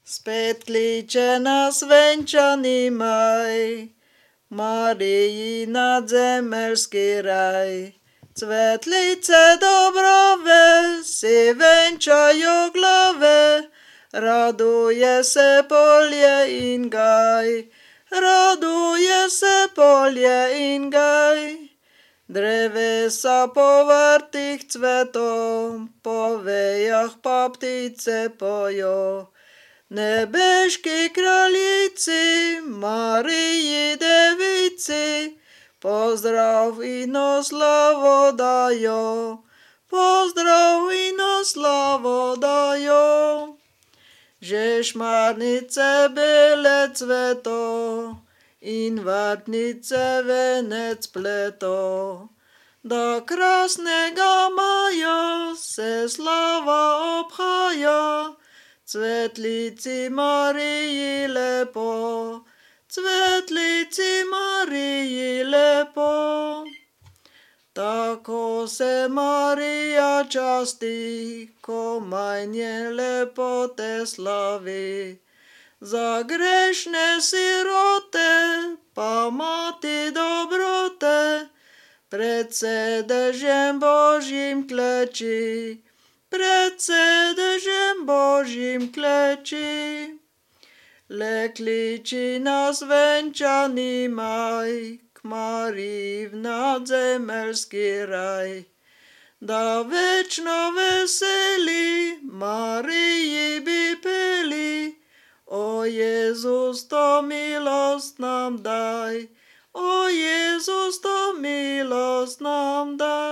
Späť klíče nás venčanimaj, Marii nad zemelský raj. Cvetlice dobrové si venčajú glave, raduje se polje in gaj, raduje se polje in gaj. Drevesa povrtých cvetom, po vejach pa ptice pojo. Nebeški kraljici, Mariji devici, pozdrav in oslavo dajo, pozdrav in oslavo dajo. Že šmarnice bele cveto, in vartnice venec pleto, da krasnega maja se slava obhaja, cvetlici Mariji lepo, cvetlici Mariji lepo. Tako se Marija časti, ko majnje lepote slavi. Za grešne sirote, pa mati dobrote, pred sedežem Božjim kleči, pred sedežem Božjim kleči. Le kliči nás venčaný maj, k Mariji v nadzemelský raj. Da večno veseli, Mariji by peli, o Jezus, to milost nám daj, o Jezus, to milost nám daj.